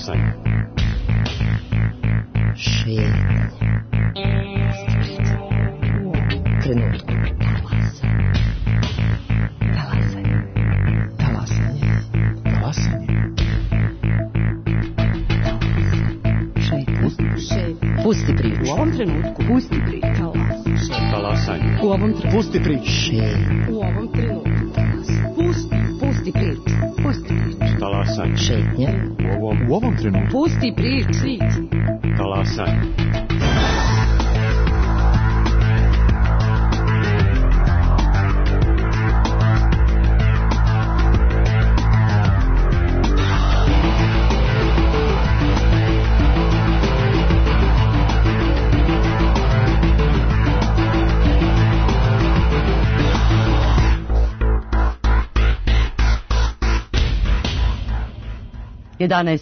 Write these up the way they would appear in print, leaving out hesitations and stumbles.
Talasanje. Šetanje. Trenutku. Talasanje. Talasanje. Talasanje. Šetanje. Pusti priču. U ovom trenutku. Pusti priču. Talasanje. U ovom trenutku. Pusti priču. Šetanje. U ovom trenutku. Pusti priču. Pusti priču. Talasanje. Šetnja. U ovom trenutku. Pusti priču. Talasanje.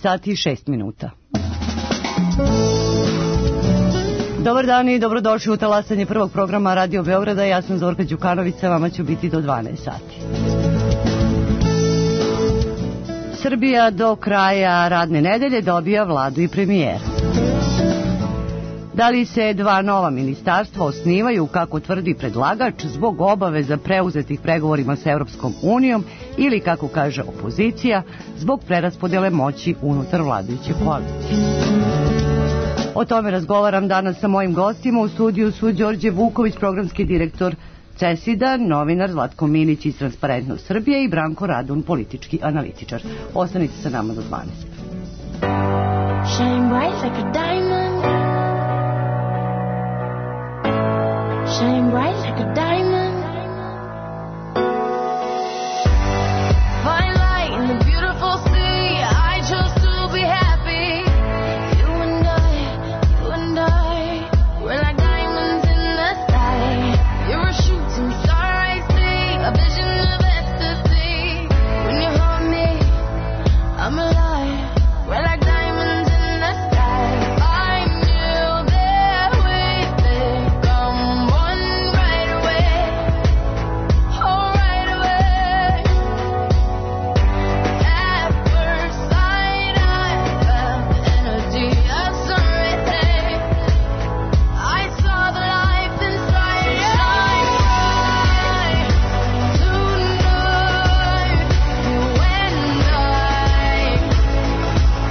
Sati i 6 minuta. Dobar dan i dobrodošli u talasanje prvog programa Radio Beograda. Ja sam Zorka Đukanović, vama ću biti do 12 sati. Srbija do kraja radne nedelje dobija vladu i premijera. Da li se dva nova ministarstva osnivaju, kako tvrdi predlagač, zbog obaveza preuzetih pregovorima sa Evropskom unijom ili, kako kaže opozicija, zbog preraspodele moći unutar vladajuće koalicije? O tome razgovaram danas sa mojim gostima. U studiju su Đorđe Vuković, programski direktor CESID-a, novinar Zlatko Milić iz Transparentnost Srbije i Branko Radun, politički analitičar. Ostanite sa nama do 12. Shine bright like a diamond. Shine bright like a diamond. Fine light in the beautiful sea. I chose to be happy. You and I, we're like diamonds in the sky. You're a shooting star I see, a vision of ecstasy. When you hold me, I'm alive. We're like diamonds in the sky. I knew that we'd become one right away. Oh, right away. At first sight, I felt the energy of sun right there. I saw the life inside you. Shine bright tonight. You and I,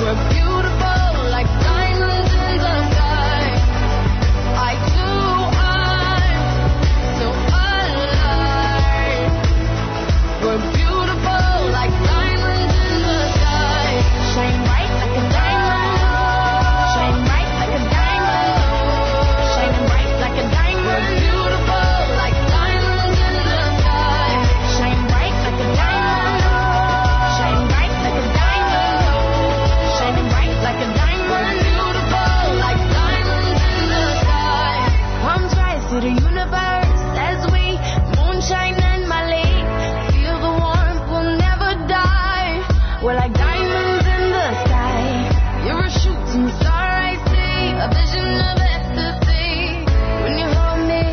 we're beautiful like diamonds in the sky. I too am so alive. We're beautiful like diamonds in the sky. Shine bright like a diamond. Shine bright like a diamond. Shine bright like a diamond. We're beautiful like diamonds in the sky. Shine bright like a diamond. Shine bright like a diamond. Shining bright like a diamond. We're beautiful like diamonds in the sky. Palms rise to the universe as we moonshine and Malay. Feel the warmth, we'll never die. We're like diamonds in the sky. You're a shooting star I see, a vision of ecstasy. When you hold me,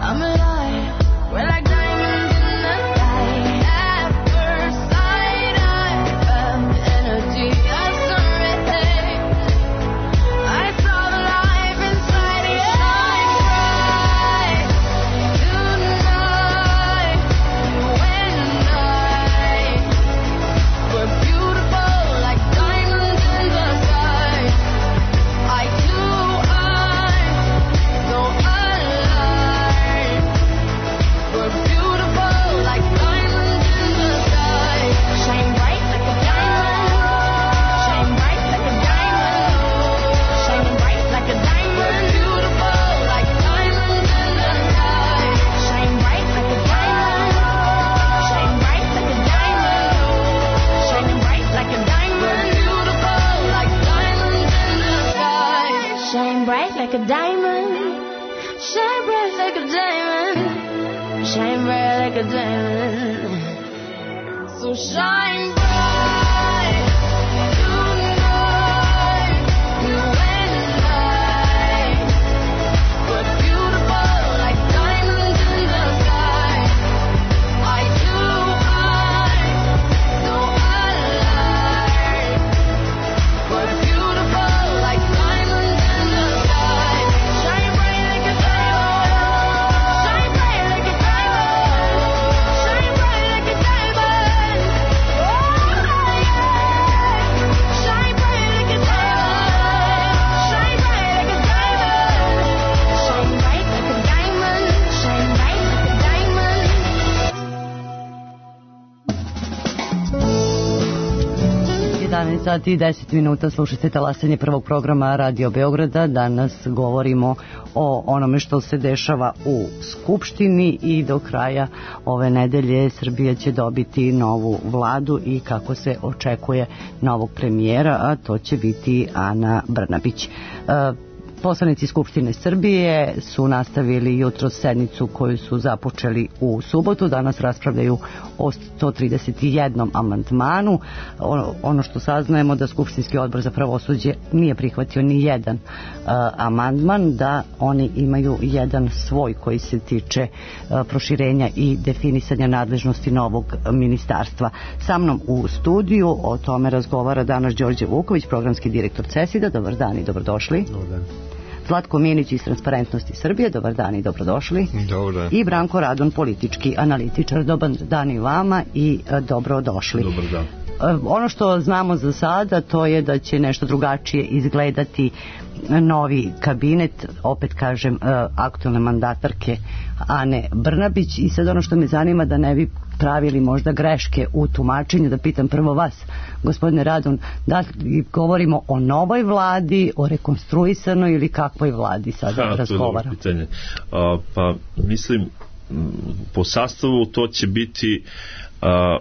I'm alive. We're like diamonds in the sky. At first sight, I felt the energy of sun right there. I saw the life inside you. Shine bright tonight. You and I, we're beautiful like diamonds in the sky. I too am so alive. We're beautiful like diamonds in the sky. Shine bright like a diamond. Shine bright like a diamond. Shining bright like a diamond. We're beautiful like diamonds in the sky. Shine bright like a diamond. Shine bright like a diamond. Shining bright like a diamond. We're beautiful like diamonds in the sky. Shine bright like a diamond. Shine bright like a diamond. Shine bright like a diamond. So shine bright tonight. You and I, we're beautiful like diamonds in the sky. I too am so alive. 19 sati i 10 minuta, slušajte talasanje prvog programa Radio Beograda. Danas govorimo o onome što se dešava u Skupštini i do kraja ove nedelje Srbija će dobiti novu vladu i kako se očekuje novog premijera, a to će biti Ana Brnabić. Poslanici Skupštine Srbije su nastavili jutro sednicu koju su započeli u subotu. Danas raspravljaju o 131 amandmanu. Ono što saznajemo da Skupštinski odbor za pravosuđe nije prihvatio ni jedan amandman, da oni imaju jedan svoj koji se tiče proširenja i definisanja nadležnosti novog ministarstva. Sa mnom u studiju o tome razgovara danas Đorđe Vuković, programski direktor CESID-a. Dobar dan i dobrodošli. Dobar dan. Zlatko Minić iz Transparentnosti Srbije, dobar dan i dobrodošli. Dobar. I Branko Radon, politički analitičar, dobar dan i vama i dobrodošli. Dobar dan. Ono što znamo za sada to je da će nešto drugačije izgledati novi kabinet, opet kažem, aktualne mandatarke Ane Brnabić, i sad ono što me zanima, da ne bi pravili možda greške u tumačenju, da pitam prvo vas, gospodine Radon, da li govorimo o novoj vladi, o rekonstruisanoj ili kakvoj vladi sada razgovaramo? To je dobro pitanje. Pa mislim, po sastavu to će biti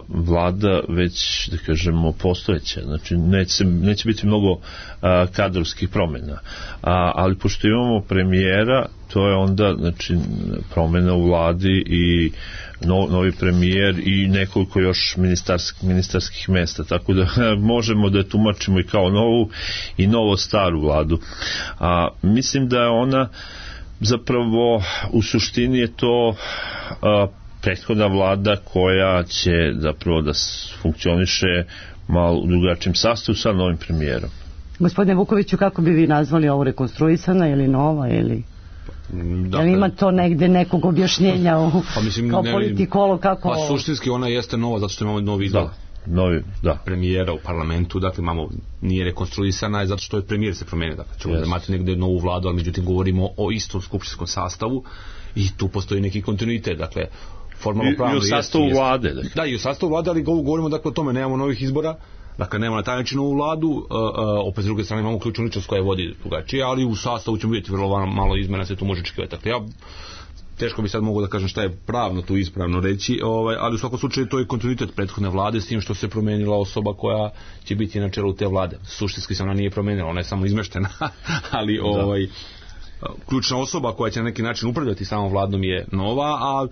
vlada već, da kažemo, postojeća, znači neće biti mnogo kadrovskih promjena, ali pošto imamo premijera, to je onda, znači, promjena u vladi i novi premijer i nekoliko još ministarskih mesta, tako da možemo da je tumačimo i kao novu i novo staru vladu. Mislim da je ona zapravo, u suštini je to prethodna vlada koja će zapravo da funkcioniše malo u drugačijem sastavu sa novim premijerom. Gospodine Vukoviću, kako bi vi nazvali ovo, rekonstruisana ili nova ili... Da, ima to negde nekog objašnjenja kao politikolog kako... Pa suštinski ona jeste nova zato što imamo novi izbor premijera u parlamentu, dakle nije rekonstruisana zato što je premijer se promenio, dakle ćemo da imati negde novu vladu, ali međutim govorimo o istom skupštinskom sastavu i tu postoji neki kontinuitet, dakle formalno pravno i u sastavu vlade. Dakle. Da, i u sastavu vlade, ali govorimo dakle o tome, nemamo novih izbora, dakle nemamo na taj način novu vladu, opet s druge strane imamo ključnu ličnost koja vodi drugačije, ali u sastavu ćemo vidjeti vrlo malo izmena, se tu može očekivati. Dakle, ja teško bi sad mogu da kažem šta je pravno tu ispravno reći, ali u svakom slučaju to je kontinuitet prethodne vlade, s tim što se promenila osoba koja će biti na čelu te vlade. Suštinski se ona nije promenila, ona je samo izmeštena, ali ključna osoba koja će na neki način upravljati samom vladom je nova, a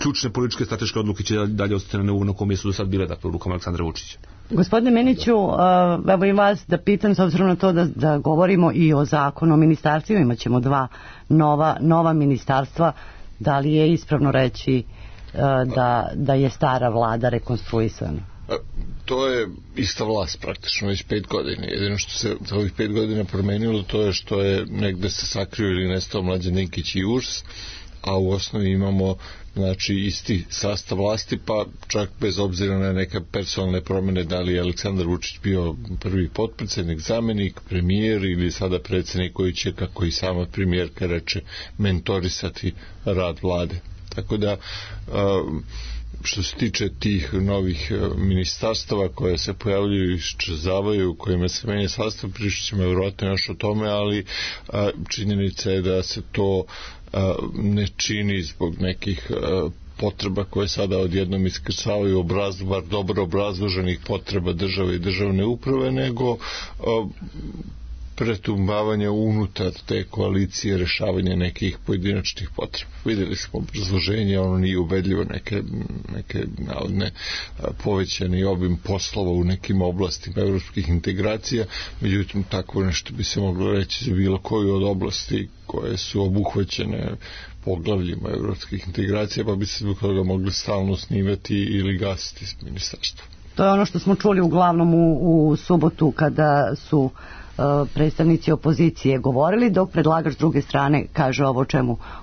ključne političke strateške odluke će dalje ostati na kom mjestu do sad bile, dakle u rukama Aleksandra Vučića. Gospodine Miniću, evo i vas da pitam, s obzirom na to da govorimo i o zakonu o ministarstvima, imat ćemo dva nova ministarstva, da li je ispravno reći da je stara vlada rekonstruisana? To je ista vlast praktično već 5 godina. Jedino što se za ovih 5 godina promenilo to je što je negde se sakrio ili nestao Mlađan Dinkić i URS, a u osnovi imamo znači isti sastav vlasti, pa čak bez obzira na neke personalne promjene, da li je Aleksandar Vučić bio prvi potpredsjednik, zamenik, premijer ili sada predsjednik koji će, kako i sama premijerka reče, mentorisati rad vlade. Tako da što se tiče tih novih ministarstava koje se pojavljuju i iščezavaju, kojima se menja sastav, pričat ćemo vjerojatno još o tome, ali činjenica je da se to ne čini zbog nekih potreba koje sada odjednom iskrcavaju bar dobro obrazloženih potreba države i državne uprave, nego pretumbavanje unutar te koalicije, rešavanje nekih pojedinačnih potreba. Vidjeli smo obrazloženje, ono nije ubedljivo, neke navodne povećani obim poslova u nekim oblastima evropskih integracija, međutim tako nešto bi se moglo reći za bilo koju od oblasti koje su obuhvaćene poglavljima evropskih integracija, pa bi se zbog toga mogli stalno snimati ili gasiti s ministarstva. To je ono što smo čuli uglavnom u subotu kada su predstavnici opozicije govorili, dok predlagač s druge strane kaže ovo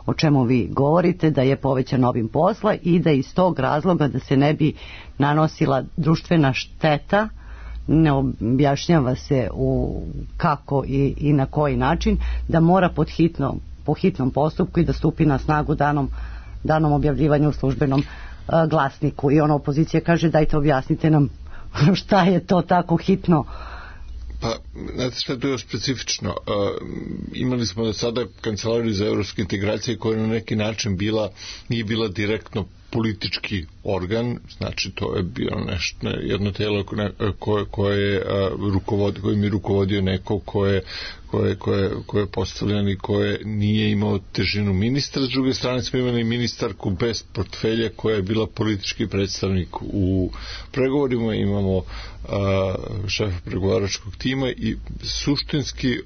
o čemu vi govorite, da je povećan obim posla i da iz tog razloga, da se ne bi nanosila društvena šteta, ne objašnjava se kako i na koji način, da mora po hitnom postupku i da stupi na snagu danom objavljivanja u službenom glasniku. I ona opozicija kaže, dajte objasnite nam šta je to tako hitno Pa, znate šta je to još specifično? Imali smo do sada Kancelariju za evropske integracije koja je na neki način nije bila direktno politički organ, znači to je bilo nešto, jedno telo kojim je rukovodio neko koje je postavljen i koje nije imao težinu ministra. S druge strane smo imali ministarku bez portfelja koja je bila politički predstavnik u pregovorima, imamo šefa pregovaračkog tima i suštinski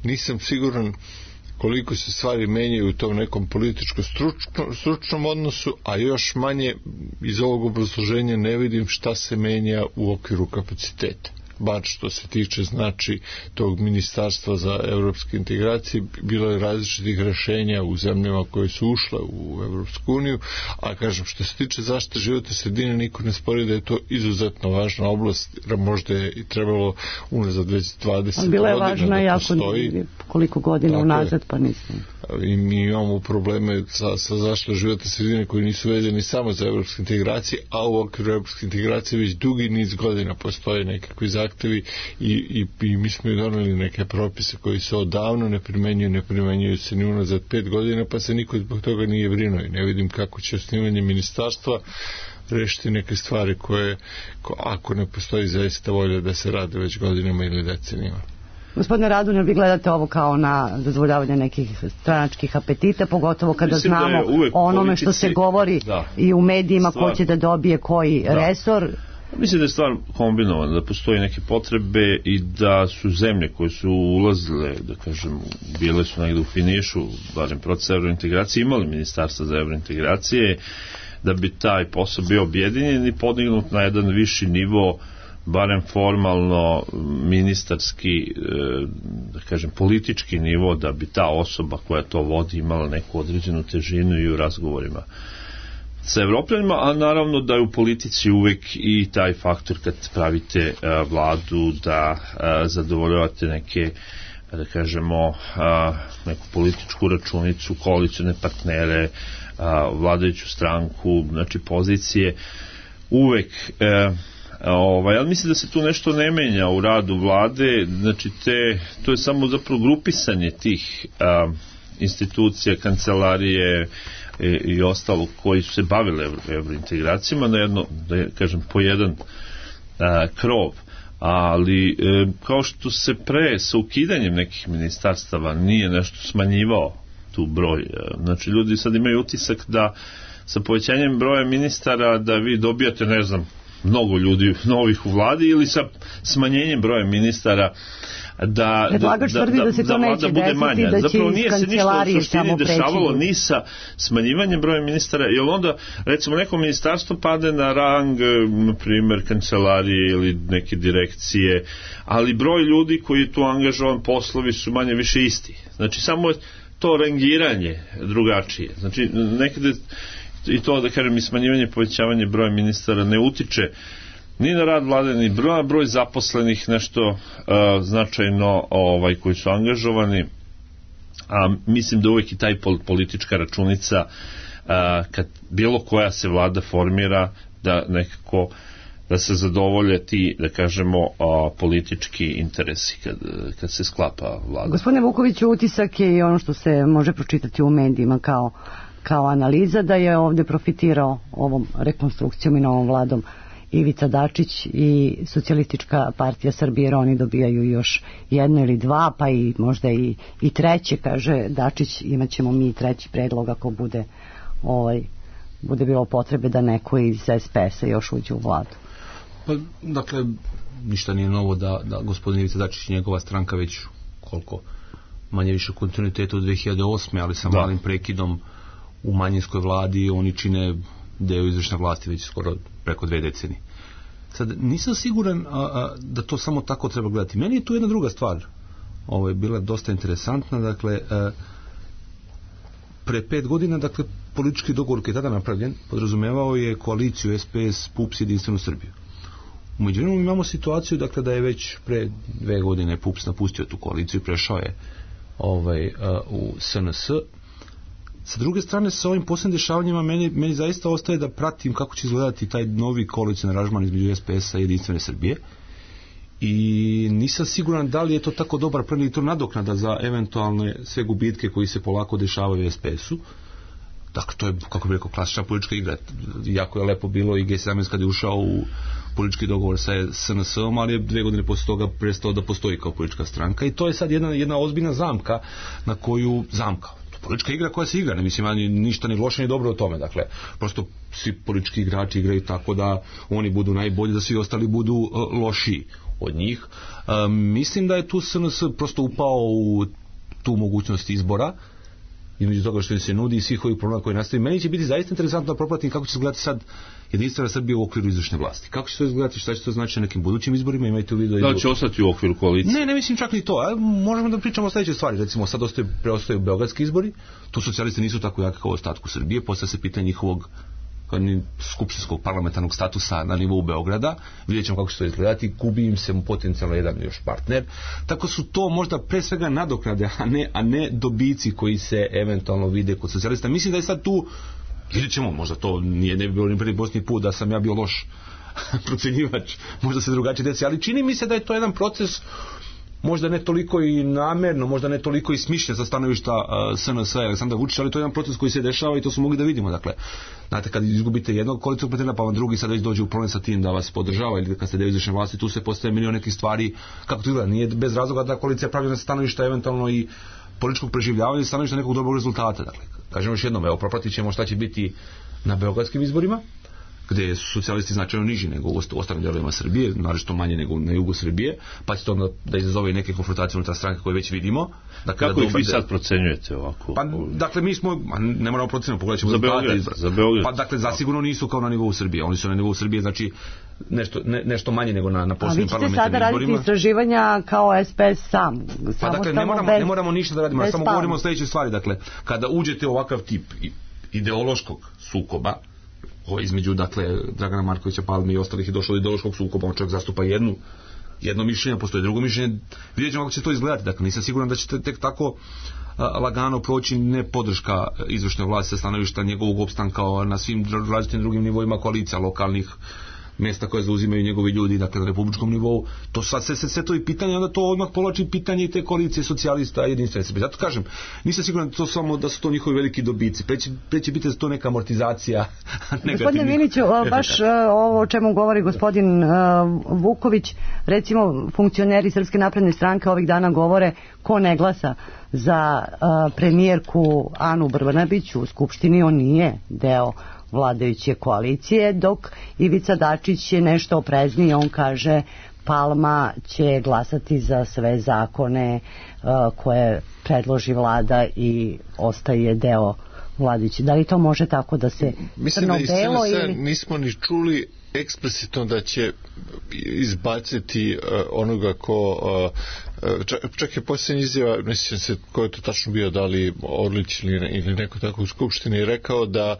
nisam siguran koliko se stvari menjaju u tom nekom političko-stručnom odnosu, a još manje iz ovog obrazloženja ne vidim šta se menja u okviru kapaciteta. Bar što se tiče znači tog ministarstva za evropske integracije, bilo je različitih rešenja u zemljama koje su ušle u Evropsku uniju, a kažem što se tiče zaštite životne sredine niko ne spori da je to izuzetno važna oblast, možda je i trebalo unazad već 20 godina bila je važna da jako postoji. Koliko godina unazad pa nisam. I mi imamo probleme sa zaštitom životne sredine koji nisu vezani samo za evropske integracije, a u okviru evropske integracije već dugi niz godina postoje nekakvi zahtevi i mi smo i doneli neke propise koji se odavno ne primenjuju se ni unazad 5 godina, pa se niko zbog toga nije brinuo i ne vidim kako će osnivanje ministarstva rešiti neke stvari koje, ako ne postoji zaista volja da se rade već godinama ili decenijama. Gospodine Radonja, vi gledate ovo kao na zadovoljavanje nekih stranačkih apetita, pogotovo kada mislim znamo o onome što se govori i u medijima ko će da dobije koji resor. Mislim da je stvar kombinovana, da postoji neke potrebe i da su zemlje koje su ulazile, da kažem, bile su negdje u finišu, barem proces evrointegracije, imali ministarstva za evrointegracije, da bi taj posao bio objedinjen i podignut na jedan viši nivo, barem formalno ministarski, da kažem, politički nivo, da bi ta osoba koja to vodi imala neku određenu težinu i u razgovorima sa Evropljanima, a naravno da je u politici uvek i taj faktor kad pravite vladu da zadovoljavate neke, da kažemo, neku političku računicu, koalicione partnere, vladajuću stranku, znači pozicije, uvek ali mislim da se tu nešto ne menja u radu vlade, znači to je samo zapravo grupisanje tih institucija, kancelarije i ostalo koji su se bavile evrointegracijama na jedno, da kažem, po jedan krov, ali kao što se pre sa ukidanjem nekih ministarstava nije nešto smanjivao tu broj, znači ljudi sad imaju utisak da sa povećanjem broja ministara da vi dobijate, ne znam, mnogo ljudi novih u vladi ili sa smanjenjem broja ministara da vlada bude manja. Zapravo nije se ništa u suštini dešavalo ni sa smanjivanjem broja ministara, jer onda recimo neko ministarstvo pade na rang, na primjer, kancelarije ili neke direkcije, ali broj ljudi koji je tu angažovan, poslovi su manje više isti. Znači samo je to rangiranje drugačije. Znači nekada i to, da kažem, i smanjivanje, povećavanje broja ministara ne utiče ni na rad vlade, ni broj zaposlenih nešto značajno koji su angažovani, a mislim da uvek i taj politička računica kad bilo koja se vlada formira da nekako da se zadovolje ti, da kažemo, politički interesi kad se sklapa vlada. Gospodine Vukoviću, utisak je i ono što se može pročitati u medijima kao analiza, da je ovdje profitirao ovom rekonstrukcijom i novom vladom Ivica Dačić i Socijalistička partija Srbije, jer oni dobijaju još jedno ili dva, pa i možda i treće, kaže Dačić, imat ćemo mi treći predlog ako bude bilo potrebe da neko iz SPS-a još uđe u vladu. Pa, dakle, ništa nije novo da gospodin Ivica Dačić i njegova stranka već koliko manje više kontinuitetu od 2008. ali sa malim prekidom u manjinskoj vladi oni čine deo izvršne vlasti već skoro preko 2 decenije. Sad, nisam siguran da to samo tako treba gledati. Meni je tu jedna druga stvar bila dosta interesantna. Dakle, pre 5 godina, dakle, politički dogovor koji je tada napravljen podrazumevao je koaliciju SPS, PUPS i Jedinstvenu Srbiju. U međuvremenu imamo situaciju, dakle, da je već pre 2 godine PUPS napustio tu koaliciju i prešao je u SNS. Sa druge strane, sa ovim posljednim dešavanjima meni zaista ostaje da pratim kako će izgledati taj novi koalicioni aranžman između SPS-a i Jedinstvene Srbije i nisam siguran da li je to tako dobar plan ili to nadoknada za eventualne sve gubitke koji se polako dešavaju u SPS-u. Dakle, to je, kako bih rekao, klasična politička igra. Jako je lepo bilo i G17 kad je ušao u politički dogovor sa SNS-om, ali je 2 godine posle toga prestao da postoji kao politička stranka i to je sad jedna ozbiljna zamka na koju, politička igra koja se igra, ne mislim ani ništa ni loše ni dobro o tome, dakle, prosto svi politički igrači igraju tako da oni budu najbolji, da svi ostali budu lošiji od njih. Mislim da je tu SNS prosto upao u tu mogućnost izbora, između toga što im se nudi i svih ovih problema koji nastaju. Meni će biti zaista interesantno da propratim kako će se izgledati sad jedinstvena Srbija u okviru izvršne vlasti. Kako će to izgledati, šta će to znači na nekim budućim izborima, imajte u vidu da će ostati u okviru koalicije. Ne mislim čak ni to. Možemo da pričamo o sledećoj stvari. Recimo, sad preostaju beogradski izbori, tu socijalisti nisu tako jaki kao u ostatku Srbije, postavlja se pitanje njihovog skupštinskog parlamentarnog statusa na nivou Beograda, vidjet ćemo kako će to izgledati, gubi im se potencijalno jedan još partner, tako su to možda pre svega nadoknade, a ne dobici koji se eventualno vide kod socijalista. Mislim da je sad tu, vidjet ćemo, možda to ne bi bilo ni prvi posljednji put da sam ja bio loš procenjivač, možda se drugačije desi, ali čini mi se da je to jedan proces možda ne toliko i namerno, možda ne toliko i smišljen sa stanovišta SNS i Aleksandra Vučića, ali to je jedan proces koji se dešava i to smo mogli da vidimo. Dakle, znate, kad izgubite jednog koalicijskog partnera, pa vam drugi sad već dođe u problem sa tim da vas podržava, ili kad ste deo izvršne vlasti, tu se postaje milion nekih stvari. Kako to izgleda? Nije bez razloga da koalicija pravi na stanovišta eventualno i političkog preživljavanja i stanovišta nekog dobrog rezultata. Dakle, kažemo još jednom, evo, propratit ćemo šta će biti na beogradskim izborima, gde su socijalisti značajno niži nego u ostalim delovima Srbije, naročito manje nego na jugu Srbije, pa će to onda da izazove neke konfrontacije unutar stranke koje već vidimo. Dakle, kako ih vi sad procenjujete ovako? Pa, dakle, mi smo, ne moramo procenjati, pogledat ćemo za Beograd. Pa, dakle, zasigurno nisu kao na nivou Srbije, oni su na nivou Srbije, znači nešto manje nego na posljednjim parlamentarnim izborima. A vi ćete sada raditi istraživanja kao SPS sam? Pa, dakle, ne moramo ništa da radimo, samo govorimo o sledećoj stvari. Dakle, kada uđete u ovakav tip ideološkog sukoba, između, dakle, Dragana Markovića Palme i ostalih je došlo do ideološkog sukoba, on čovjek zastupa jedno mišljenje, postoji drugo mišljenje, vidjet ćemo kako će to izgledati. Dakle, nisam siguran da će tek tako lagano proći ne podrška izvršne vlasti sa stanovišta njegovog opstanka na svim različitim drugim nivoima koalicija, lokalnih mjesta koje zauzimaju njegovi ljudi, dakle, na republičkom nivou. To sad sve to i pitanje, onda to odmah povlači pitanje i te koalicije socijalista i jedinstvene Srbije. Zato kažem, nisam siguran to samo da su to njihovi veliki dobici. Pre će biti za to neka amortizacija. Gospodine Miliću, baš ovo o čemu govori gospodin Vuković, recimo funkcioneri Srpske napredne stranke ovih dana govore ko ne glasa za premijerku Anu Brnabić u Skupštini, on nije deo vladajuće koalicije, dok Ivica Dačić je nešto oprezniji, on kaže Palma će glasati za sve zakone koje predloži vlada i ostaje deo vladajuće. Da li to može tako da se crno-belo ili... Nismo ni čuli eksplicitno da će izbaciti onoga ko čak je posljednja izjava, ne sjećam se ko je to tačno bio, da li Orlić ili neko tako u Skupštini, rekao da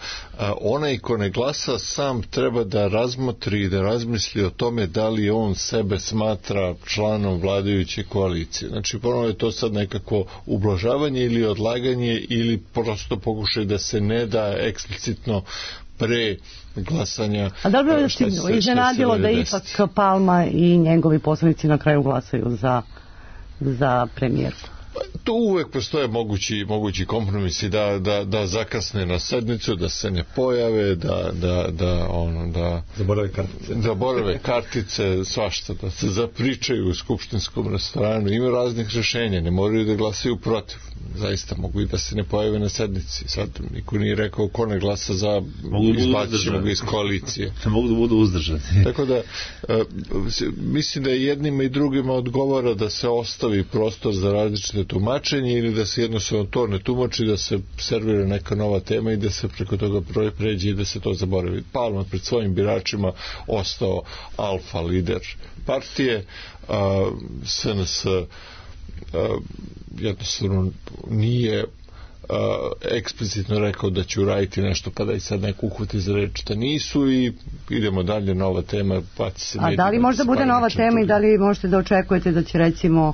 onaj ko ne glasa sam treba da razmotri i da razmisli o tome da li on sebe smatra članom vladajuće koalicije. Znači ponovno je to sad nekako ublažavanje ili odlaganje ili prosto pokušaj da se ne da eksplicitno pre glasanja. A da li bi vas iznenadilo da ipak Palma i njegovi poslanici na kraju glasaju za premijerku? Tu uvek postoje mogući kompromisi da zakasne na sednicu, da se ne pojave, da zaborave kartice, svašta, da se zapričaju u skupštinskom restoranu. Ima raznih rešenja, ne moraju da glasaju protiv. Zaista mogu i da se ne pojave na sednici. Sad niko nije rekao ko ne glasa za, izbacit ćemo ga iz koalicije. Mogu da budu uzdržani. Tako da mislim da jednima i drugima odgovara da se ostavi prostor za različite tumačenje ili da se jednostavno to ne tumači, da se servira neka nova tema i da se preko toga pređe i da se to zaboravi. Palma pred svojim biračima ostao alfa lider partije, SNS jednostavno nije eksplicitno rekao da će uraditi nešto, pa da i sad neko uhvati za reč da nisu i idemo dalje, nova tema. A da li možda bude nova tema i da li možete da očekujete da će recimo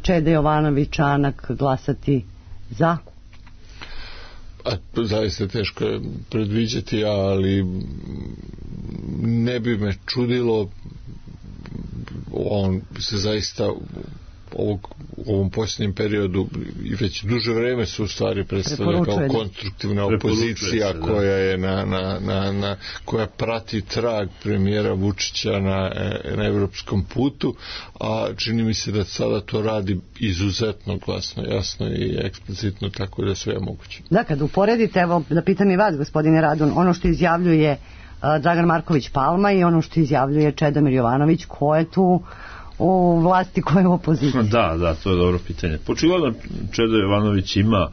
Čeda Jovanović Anak glasati za? Zaista teško je predviđati, ali ne bi me čudilo on se zaista u ovom posljednjem periodu i već duže vreme su u stvari predstavlja kao konstruktivna opozicija koja je koja prati trag premijera Vučića na evropskom putu, a čini mi se da sada to radi izuzetno glasno, jasno i eksplicitno, tako da sve je moguće. Da, kad uporedite, evo da pitam i vas, gospodine Radun, ono što izjavljuje Dragan Marković Palma i ono što izjavljuje Čedomir Jovanović, ko je tu u vlasti, koja je u opoziciji? Da, to je dobro pitanje. Očigledno Čedo Jovanović ima,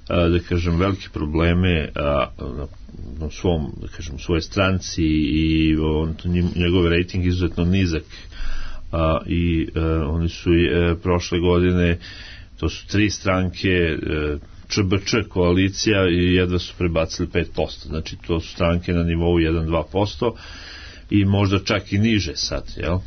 da kažem, velike probleme na svom, da kažem, svojoj stranci i njegov rejting izuzetno nizak i oni su prošle godine, to su 3 stranke, ČBČ koalicija, i jedva su prebacili 5%, znači to su stranke na nivou 1-2% i možda čak i niže sad, jel?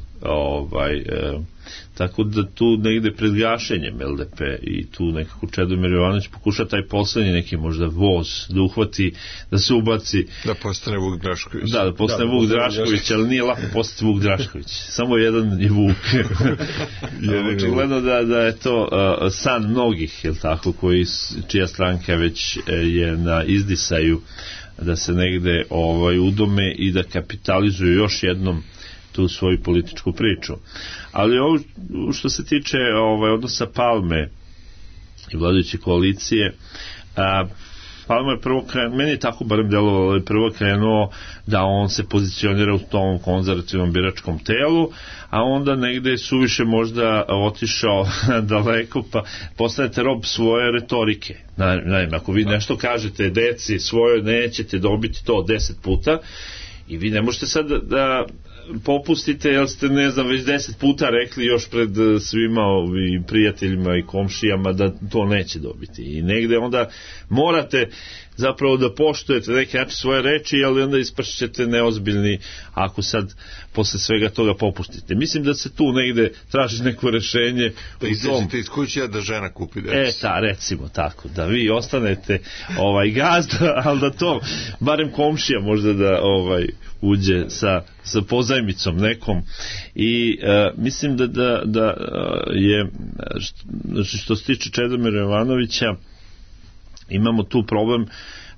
Tako da tu negde pred gašenjem LDP i tu nekako Čedomir Jovanović pokuša taj poslednji neki možda voz da uhvati, da se ubaci, da postane Vuk Drašković. Da postane Vuk Drašković, ali nije lako postati Vuk Drašković, samo jedan je Vuk. Očigledno da je to san mnogih, jel tako, čija stranka već je na izdisaju da se negde udome i da kapitalizuju još jednom tu svoju političku priču. Ali ovo što se tiče odnosa Palme i vladajuće koalicije, Palma je prvo krenuo, meni je tako barem delovalo, prvo krenuo da on se pozicionira u tom konzervativnom biračkom telu, a onda negde je suviše možda otišao daleko, pa postanete rob svoje retorike. Naime, ako vi nešto kažete deci svoje, nećete dobiti to 10 puta, i vi ne možete sad da popustite, jer ste, ne znam, već 10 puta rekli još pred svima i prijateljima i komšijama da to neće dobiti. I negde onda morate zapravo da poštujete neki način svoje reči, ali onda ispašćete neozbiljni ako sad posle svega toga popustite. Mislim da se tu negde traži neko rešenje. Da izađete iz kuće, da žena kupi decu. Recimo tako, da vi ostanete gazda, ali da to barem komšija možda da uđe sa pozajmicom nekom. I mislim da je, što se tiče Čedomira Jovanovića, imamo tu problem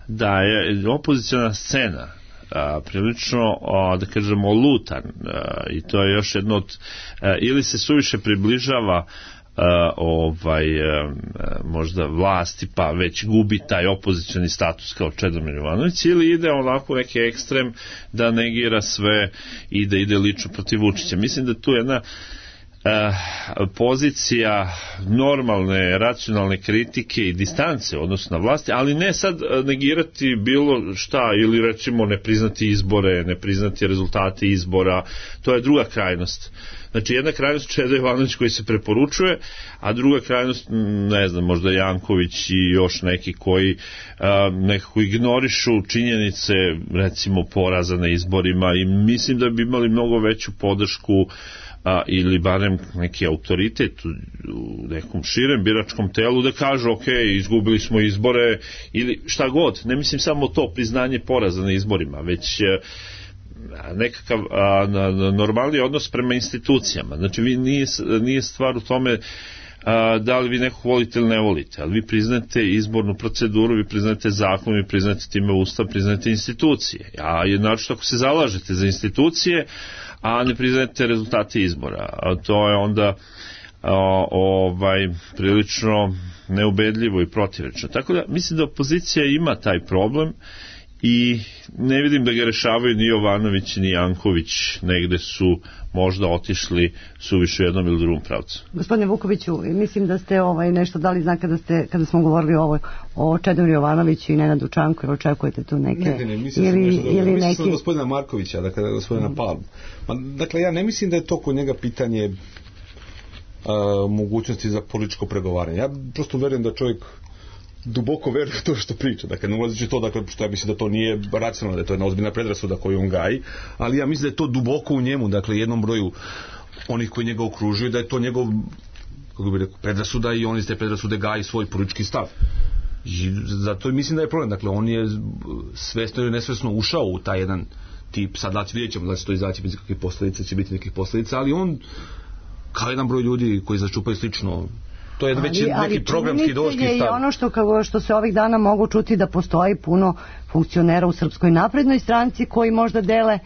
da je opoziciona scena prilično, da kažemo, lutan, i to je još jedno od, ili se suviše približava možda vlasti, pa već gubi taj opozicioni status kao Čedomir Jovanović, ili ide onako neki ekstrem da negira sve i da ide lično protiv Vučića. Mislim da tu jedna pozicija normalne, racionalne kritike i distance odnosno na vlasti, ali ne sad negirati bilo šta ili recimo ne priznati izbore, ne priznati rezultate izbora, to je druga krajnost. Znači jedna krajnost Čedo Jovanović koji se preporučuje, a druga krajnost, ne znam, možda Janković i još neki koji nekako ignorišu činjenice, recimo poraza na izborima, i mislim da bi imali mnogo veću podršku ili barem neki autoritet u nekom širem biračkom telu da kažu ok, izgubili smo izbore ili šta god. Ne mislim samo to priznanje poraza na izborima, već nekakav normalni odnos prema institucijama. Znači nije stvar u tome da li vi nekog volite ili ne volite, ali vi priznate izbornu proceduru, vi priznate zakon, vi priznate time ustav, priznate institucije. A jednačno ako se zalažete za institucije, a ne priznate rezultate izbora, a to je onda prilično neubedljivo i protivrečno. Tako da mislim da opozicija ima taj problem i ne vidim da ga rešavaju ni Jovanović ni Janković, negde su možda otišli suviše u jednom ili drugom pravcu. Gospodine Vukoviću, mislim da ste nešto dali znak kada smo govorili o Čedomiru Jovanoviću i Nenadu Čanku, jer očekujete tu neke mislim sam gospodina Markovića, dakle gospodina Palmu. Dakle, ja ne mislim da je to kod njega pitanje mogućnosti za političko pregovaranje. Ja prosto verujem da čovjek duboko veruje to što priča. Dakle, ne ulazeći to, dakle, što ja mislim da to nije racionalno, da je to jedna ozbiljna predrasuda koju on gaji, ali ja mislim da je to duboko u njemu, dakle, jednom broju onih koji njega okružuju, da je to njegov, kako bih rekao, predrasuda i on iz te predrasude gaji svoj politički stav. I zato mislim da je problem. Dakle, on je svesno ili nesvesno ušao u taj jedan tip, sad vidjet ćemo da će to izaći bez kakvih posljedica, će biti nekih posljedica, ali on kao jedan broj ljudi koji začupaju slično. To je već neki programski ideološki stav. Ali činjenica je i ono što se ovih dana mogu čuti da postoji puno funkcionera u Srpskoj naprednoj stranci koji možda dele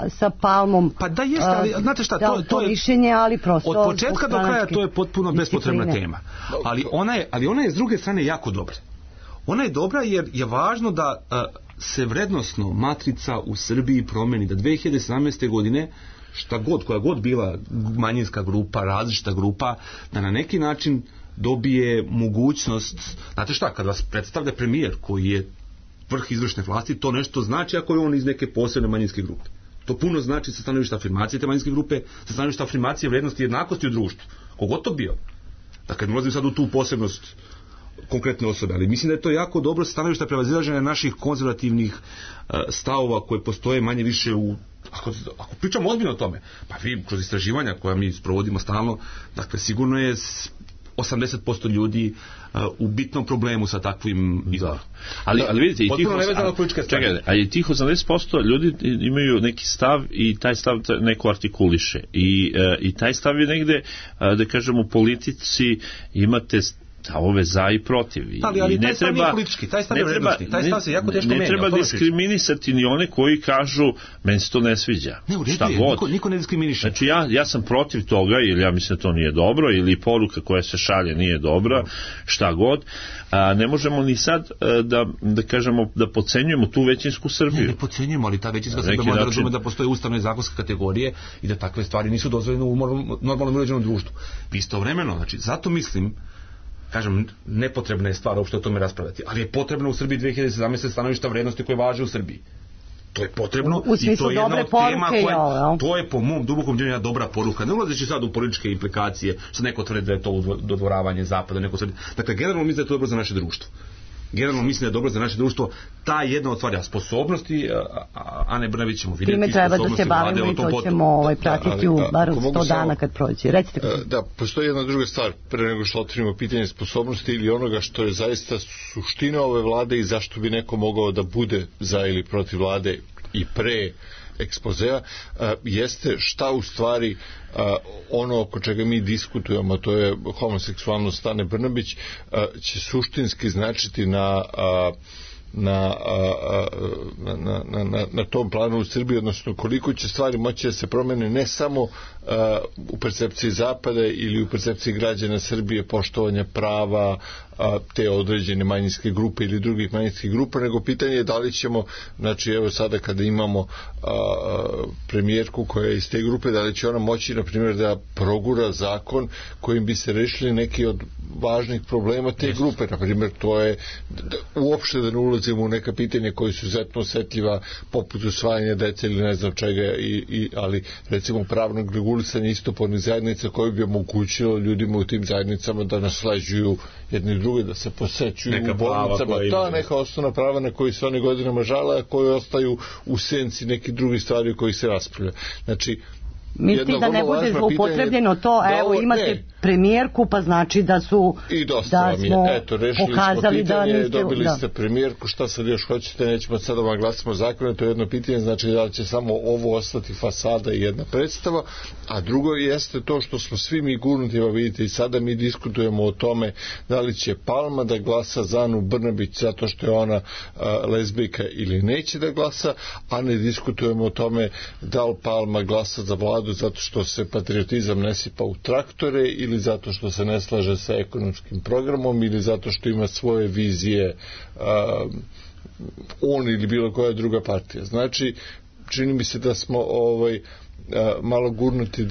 sa Palmom. Pa da jeste, ali znate šta, to je mišljenje, ali prosto od početka do kraja to je potpuno bespotrebna tema. Ali ona je s druge strane jako dobra. Ona je dobra jer je važno da se vrednosno matrica u Srbiji promeni, da 2017. godine koja god bila manjinska grupa, različita grupa, da na neki način dobije mogućnost, znate šta, kad vas predstavlja premijer koji je vrh izvršne vlasti, to nešto znači ako je on iz neke posebne manjinske grupe. To puno znači sa stanovišta afirmacije te manjinske grupe, sa stanovišta afirmacije vrednosti i jednakosti u društvu. Kogod to bio. Dakle, ne ulazim sad u tu posebnost konkretne osobe, ali mislim da je to jako dobro sa stanovišta prevazilaženja naših konzervativnih stavova koje postoje manje više u ako pričamo ozbiljno o tome, pa vi kroz istraživanja koja mi sprovodimo stalno, dakle sigurno je 80% ljudi u bitnom problemu sa takvim izborom. Ali vidite, i tih 80% ljudi imaju neki stav i taj stav neko artikuliše. I taj stav je negde, da kažem, u politici imate stavove za i protiv. Ali taj stav nije politički, taj stav je vrednosti, taj stav se jako teško menja. Ne treba diskriminisati ni one koji kažu meni se to ne sviđa. Ne, u redu je, niko ne diskriminiše. Znači ja sam protiv toga, ili ja mislim da to nije dobro, ili poruka koja se šalje nije dobra, šta god. Ne možemo ni sad da kažemo da podcenjujemo tu većinsku Srbiju. Ne podcenjujemo, ali ta većinska Srbija mora razume da postoje ustavne i zakonske kategorije i da takve stvari nisu dozvoljene u normalnom uređenom društvu. Istovremeno, znači, zato mislim, kažem, nepotrebna je stvar uopšte o tome raspravljati, ali je potrebno u Srbiji 2017. stanovišta vrednosti koje važe u Srbiji. To je potrebno i to je jedna od tema koja, to je po mom dubokom djelju jedna dobra poruka. Ne ulazeći sad u političke implikacije, što neko tvrdi da je to dodvoravanje zapada, neko tvrdi. Dakle, generalno mislim da je to dobro za naše društvo. Generalno mislim da je dobro za naše društvo ta jedna od stvari, sposobnosti, Ane Brnabić ćemo vidjeti. Time treba da se bavimo i to ćemo pratiti u bar 100 dana kad prođe. Recite. Da, postoji jedna druga stvar, pre nego što otvorimo pitanje sposobnosti ili onoga što je zaista suština ove vlade i zašto bi neko mogao da bude za ili protiv vlade i pre ekspozea, jeste šta u stvari ono oko čega mi diskutujemo, to je homoseksualnost Ane Brnabić, će suštinski značiti na tom planu u Srbiji, odnosno koliko će stvari moći da se promene ne samo u percepciji Zapada ili u percepciji građana Srbije, poštovanja prava te određene manjinske grupe ili drugih manjinskih grupa, nego pitanje je da li ćemo, znači evo sada kada imamo premijerku koja je iz te grupe, da li će ona moći na primjer da progura zakon kojim bi se rešili neki od važnih problema te grupe, na primjer to je uopšte da ne ulazimo u neka pitanja koji su izuzetno osetljiva poput usvajanja dece ili ne znam čega, ali recimo pravnog regulisanja istopolnih zajednica koje bi omogućilo ljudima u tim zajednicama da nasleđuju jedni drugi, da se posećuju u bolnicama, neka osnovna prava na koji se oni godinama žale, a koji ostaju u senci neki drugi stvari u kojih se raspravlja. Znači, misli da ne bude zloupotrebljeno to, evo imate premijerku, pa znači da su i dosta vam je, eto, rešili smo pitanje, dobili ste premijerku, šta sad još hoćete, nećemo sad vam glasimo zakone, to je jedno pitanje, znači da će samo ovo ostati fasada i jedna predstava, a drugo jeste to što smo svi mi gurnuti, vidite i sada mi diskutujemo o tome da li će Palma da glasa za Anu Brnabić zato što je ona lezbijka ili neće da glasa, a ne diskutujemo o tome da li Palma glasa za vladu zato što se patriotizam ne sipa u traktore ili zato što se ne slaže sa ekonomskim programom ili zato što ima svoje vizije on ili bilo koja druga partija. Znači, čini mi se da smo malo gurnuti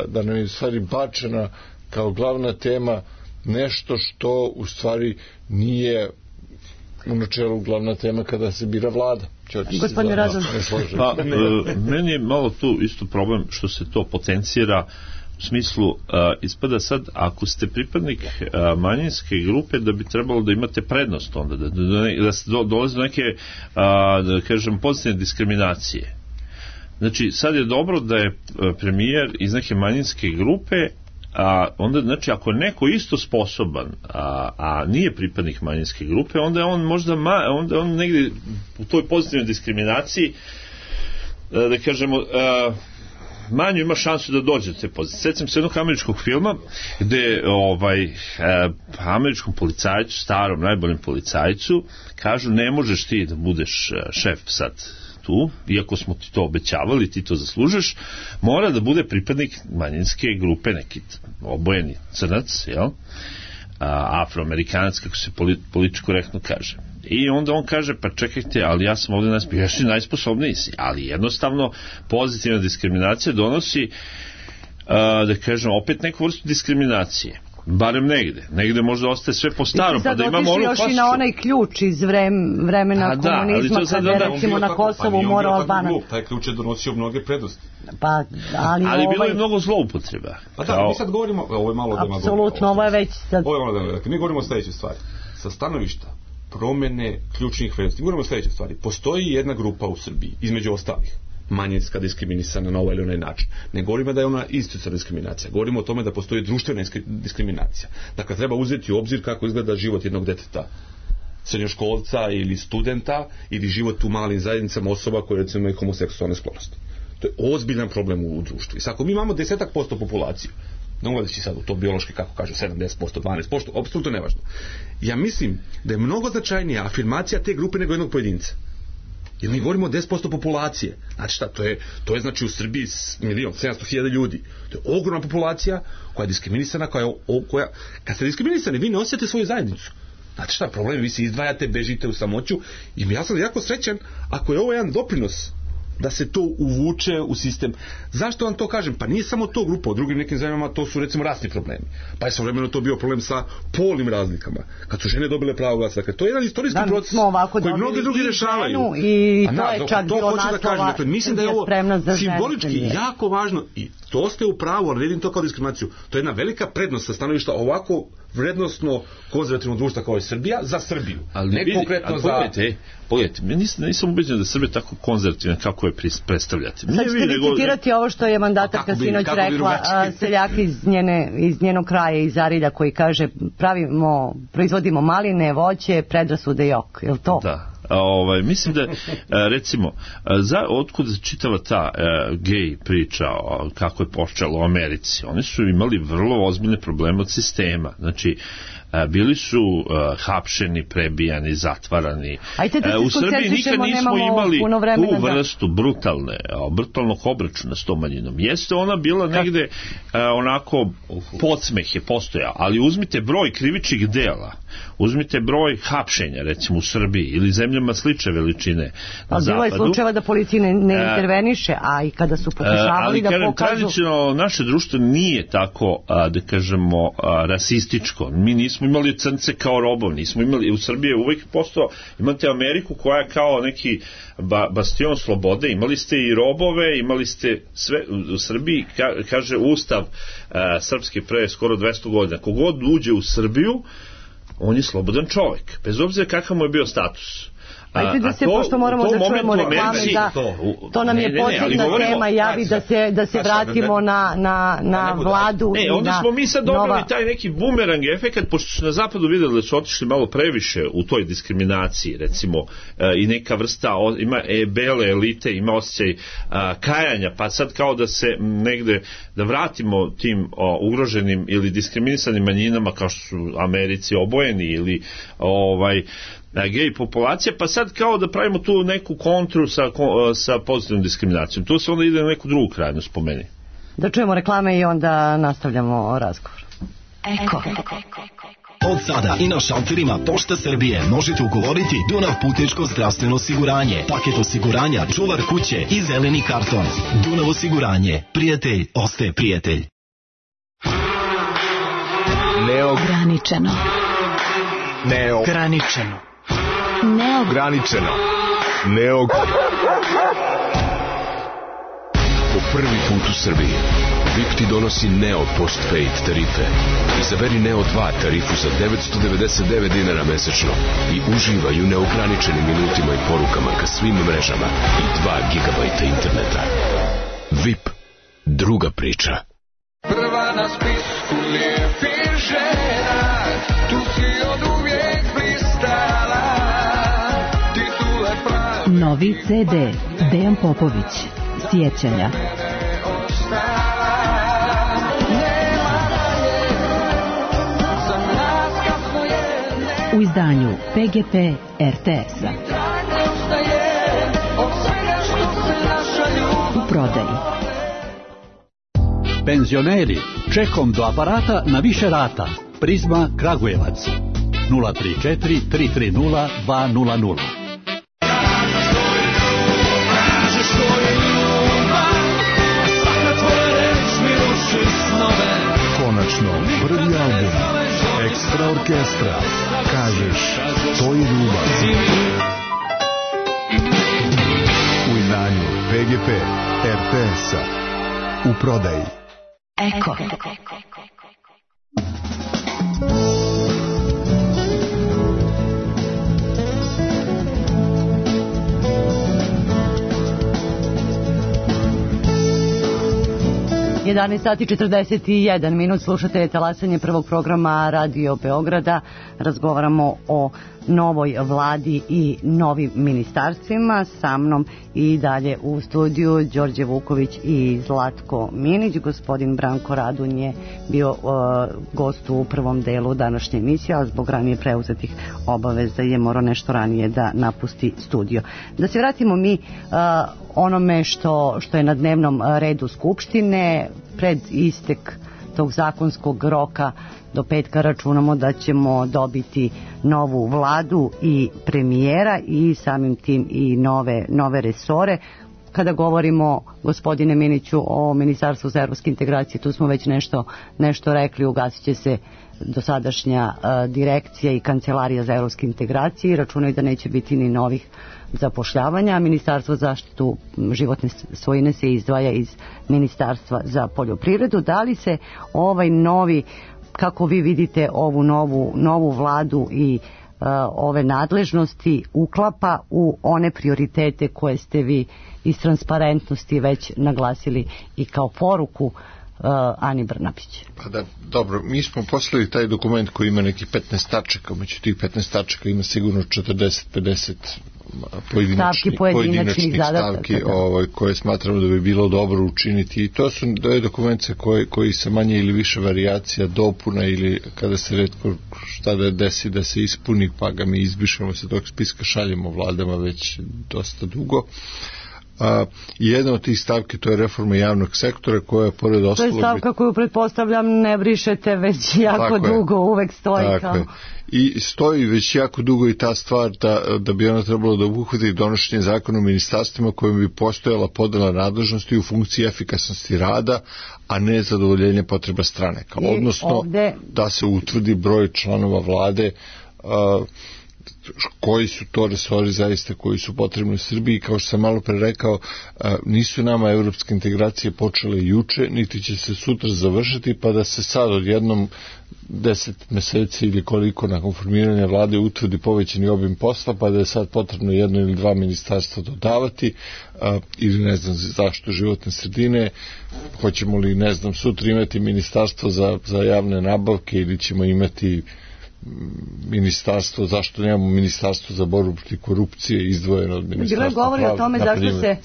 da nam je u stvari bačena kao glavna tema nešto što u stvari nije u načelu glavna tema kada se bira vlada. Gospodine Razum. Meni je malo tu isto problem što se to potencira u smislu, ispada sad, ako ste pripadnik manjinske grupe, da bi trebalo da imate prednost onda, da dolaze do neke, da kažem, pozitivne diskriminacije. Znači, sad je dobro da je premijer iz neke manjinske grupe, onda, znači, ako je neko isto sposoban, a nije pripadnik manjinske grupe, onda je on možda onda on negdje u toj pozitivnoj diskriminaciji, da kažemo, manju ima šansu da dođe do te pozicije. Sjećam se jednog američkog filma gde američkom policajcu, starom, najboljem policajcu, kažu ne možeš ti da budeš šef sad tu, iako smo ti to obećavali, ti to zaslužeš, mora da bude pripadnik manjinske grupe, neki obojeni crnac, jel? Afroamerikanac, kako se politički korektno kaže. I onda on kaže, pa čekajte, ali ja sam ovdje najsposobniji si, ali jednostavno pozitivna diskriminacija donosi, da kažem, opet neku vrstu diskriminacije. Barem negde možda ostaje sve po starom, pa da imamo onu još i na onaj ključ iz vremena komunizma, kada je recimo na Kosovu morao Albanac. Taj ključ je donosio mnoge prednosti. Pa, ali bilo je mnogo zloupotreba. Pa da, mi sad govorimo, ovo je malo demagogija. Apsolutno, ovo je već sad... Ovo je malo demagogija. Mi govorimo o sljedećoj stvari. Sa stanovišta promene ključnih vrednosti. Mi govorimo o sljedećoj stvari. Postoji jedna grupa u Srbiji, između ostalih, manjinska diskriminisana na ovaj ili onaj način. Ne govorimo da je ona institucionalna diskriminacija. Govorimo o tome da postoji društvena diskriminacija. Dakle, treba uzeti u obzir kako izgleda život jednog deteta, srednjoškolca ili studenta, ili život u malim zajednicama osoba koje recimo imaju homoseksualne sklonosti. To je ozbiljan problem u društvu. I ako mi imamo 10% populacije, ne ulazeći sad u to biološki, kako kažu, 70%, 12%, apsolutno nevažno. Ja mislim da je mnogo značajnija afirmacija te grupe nego jednog pojedinca. Jer mi govorimo o 10% populacije. Znači šta, to je znači u Srbiji 1.700.000 ljudi. To je ogromna populacija koja je diskriminisana, koja kad ste diskriminisani, vi ne osjećate svoju zajednicu. Znači šta, problem, vi se izdvajate, bežite u samoću i ja sam jako srećan ako je ovo jedan doprinos da se to uvuče u sistem. Zašto vam to kažem? Pa nije samo to grupa, u drugim nekim zemljama to su recimo rasni problemi. Pa je svojevremeno to bio problem sa polnim razlikama. Kad su žene dobile pravo glasa. Dakle, to je jedan istorijski proces koji mnogi drugi rešavaju. I to je čak bilo naslova. Dakle, mislim da je ovo simbolički jako važno i to ste u pravu, ali vidim to kao diskriminaciju. To je jedna velika prednost sa stanovišta ovako vrednostno konzervativnog društva kao je Srbija za Srbiju. Ali ne konkretno za... Pogledajte, nisam ubeđen da Srbija tako konzervativna kako je predstavljate. Sad ćete vi citirati ovo što je mandatarka sinoć rekla, seljak iz njenog kraja, iz Arilja, koji kaže proizvodimo maline, voće, predrasude i ok. Je li to? Da. Mislim da recimo otkud čitava ta gej priča kako je počelo u Americi, oni su imali vrlo ozbiljne probleme od sistema, znači bili su hapšeni, prebijani, zatvarani. U Srbiji nikad nismo imali tu vrstu brutalnog obračuna s tom manjinom. Jeste ona bila negde onako podsmeh je postojao, ali uzmite broj krivičnih dela, uzmite broj hapšenja recimo u Srbiji ili zemljama slične veličine na zapadu. Bilo je slučajeva da policija ne interveniše, a i kada su pokušavali da pokažu... Tradicionalno naše društvo nije tako, da kažemo, rasističko. Mi nismo imali crnce kao robov, nismo imali, u Srbiji je uvijek postao, imate Ameriku koja je kao neki bastion slobode, imali ste i robove, imali ste sve, u Srbiji kaže Ustav srpski pre skoro 200 godina, kogod uđe u Srbiju on je slobodan čovjek, bez obzira kakav mu je bio status. Ajde da se, pošto moramo da čujemo reklame, to nam je posebna tema, javi da se vratimo na vladu i na onda smo mi sad dobili taj neki bumerang efekat, pošto su na zapadu vidjeli da su otišli malo previše u toj diskriminaciji, recimo, i neka vrsta, ima bele elite, ima osjećaj kajanja, pa sad kao da se negde, da vratimo tim ugroženim ili diskriminisanim manjinama, kao što su Americi obojeni ili gej populacija, pa sad kao da pravimo tu neku kontru sa pozitivnom diskriminacijom. Tu se onda ide na neku drugu krajnost po meni. Da čujemo reklame i onda nastavljamo razgovor. Eko. Od sada i na šalterima Pošte Srbije možete ugovoriti Dunav putničko zdravstveno osiguranje, paket osiguranja, čuvar kuće i zeleni karton. Dunav osiguranje. Prijatelj ostaje prijatelj. Neograničeno. Neograničeno. Neograničeno. Po prvi put u Srbiji VIP ti donosi Neo Postpaid tarife. Izaberi Neo 2 tarifu za 999 dinara mesečno i uživaj u neograničenim minutima i porukama ka svim mrežama i 2 gigabajta interneta. VIP. Druga priča. Prva na spisku lijepih žena, tu si od uvijek blistala. Novi CD Dejan Popović. Sjećanja. u izdanju PGP RTS-a. U prodaji. Penzioneri, čekom do aparata na više rata. Prizma Kragujevac 034 330 200. Konačno, prvi album Ekstra orkestra. Kažeš, to je ljubav. U izdanju PGP RTS-a. U prodaji. Eko. 11 sati 41 minut, slušate talasanje prvog programa Radio Beograda. Razgovaramo o novoj vladi i novim ministarstvima. Sa mnom i dalje u studiju Đorđe Vuković i Zlatko Minić. Gospodin Branko Radun je bio gost u prvom delu današnje emisije, a zbog ranije preuzetih obaveza je morao nešto ranije da napusti studio. Da se vratimo mi onome što je na dnevnom redu Skupštine. Pred istek tog zakonskog roka do petka računamo da ćemo dobiti novu vladu i premijera i samim tim i nove resore. Kada govorimo, gospodine Miniću, o Ministarstvu za evropske integracije, tu smo već nešto rekli, ugasit će se dosadašnja direkcija i kancelarija za evropske integracije i računaju da neće biti ni novih zapošljavanja. Ministarstvo za zaštitu životne svojine se izdvaja iz Ministarstva za poljoprivredu. Da li se ovaj novi, kako vi vidite ovu novu vladu i ove nadležnosti uklapa u one prioritete koje ste vi iz transparentnosti već naglasili i kao poruku Ani Brnabić? Pa da, dobro, mi smo poslali taj dokument koji ima neki 15 tačaka, među tih 15 tačaka ima sigurno 40-50 pojedinačnih stavki koje smatramo da bi bilo dobro učiniti, i to je dokument koji sa manje ili više varijacija, dopuna ili kada se retko šta da desi da se ispuni, pa ga mi izbrišemo se tog spiska, šaljemo vladama već dosta dugo. Jedna od tih stavki, to je reforma javnog sektora, koja je pored ostalog... To je stavka koju pretpostavljam ne brišete već jako dugo, uvek stoji kao... I stoji već jako dugo i ta stvar da bi ona trebalo da obuhvati donošenje zakona o ministarstvima kojim bi postojala podela nadležnosti u funkciji efikasnosti rada, a ne zadovoljenje potreba stranaka. Odnosno da se utvrdi broj članova vlade, koji su to resori zaista koji su potrebni u Srbiji. Kao što sam malo pre rekao, nisu nama evropske integracije počele juče, niti će se sutra završiti, pa da se sad odjednom 10 meseci ili koliko nakon formiranja vlade utvrdi povećani obim posla, pa da je sad potrebno jedno ili dva ministarstva dodavati, ili ne znam zašto životne sredine, hoćemo li ne znam sutra imati ministarstvo za javne nabavke ili ćemo imati ministarstvo, zašto nemamo ministarstvo za borbu protiv korupcije izdvojeno od ministarstva. Bilo je govori o tome zašto se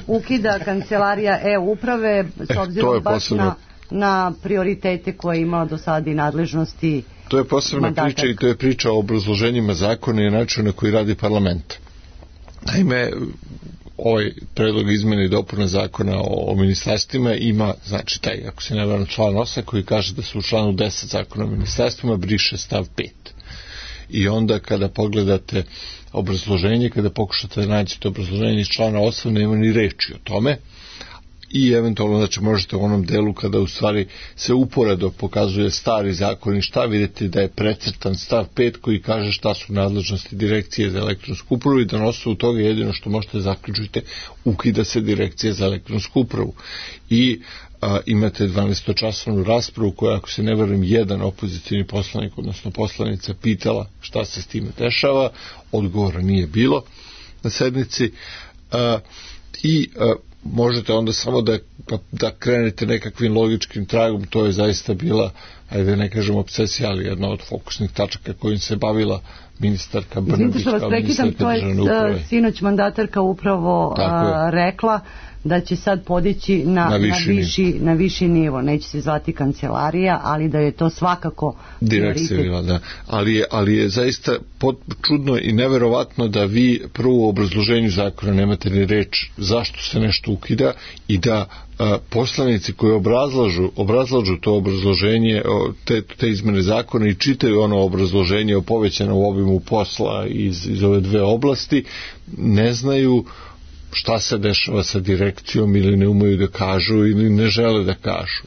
ukida kancelarija e-uprave s obzirom baš na prioritete koje je imala do sada i nadležnosti. To je posebna priča i to je priča o obrazloženjima zakona i načinu na koji radi parlament. Naime, ovaj predlog izmene i dopuna zakona o ministarstvima ima, znači taj, ako se ne varam, član 8 koji kaže da se u članu 10 zakona o ministarstvima briše stav 5. I onda kada pogledate obrazloženje, kada pokušate da nađete obrazloženje iz člana 8, nema ni reči o tome. I eventualno, znači, možete u onom delu kada u stvari se uporedo pokazuje stari zakon i šta, vidite da je precrtan stav 5 koji kaže šta su nadležnosti direkcije za elektronsku upravu i da na osnovu toga jedino što možete zaključiti, ukida se direkcija za elektronsku upravu. I imate 12-časovnu raspravu koja, ako se ne verujem, jedan opozicijni poslanik, odnosno poslanica, pitala šta se s time dešava, odgovora nije bilo na sednici i možete onda samo da krenete nekakvim logičkim tragom. To je zaista bila ajde ne kažem obsesija, ali jedna od fokusnih tačaka kojim se bavila ministarka Brnabić kao ministarka državne uprave. Sinoć mandatarka upravo rekla da će sad podići na viši nivo. Neće se zvati kancelarija, ali da je to svakako direkcija, da. Ali je zaista čudno i neverovatno da vi prvo u obrazloženju zakona nemate ni reč zašto se nešto ukida i da poslanici koji obrazlažu to obrazloženje, te izmene zakona i čitaju ono obrazloženje o povećanom obimu posla iz ove dve oblasti, ne znaju šta se dešava sa direkcijom ili ne umeju da kažu ili ne žele da kažu.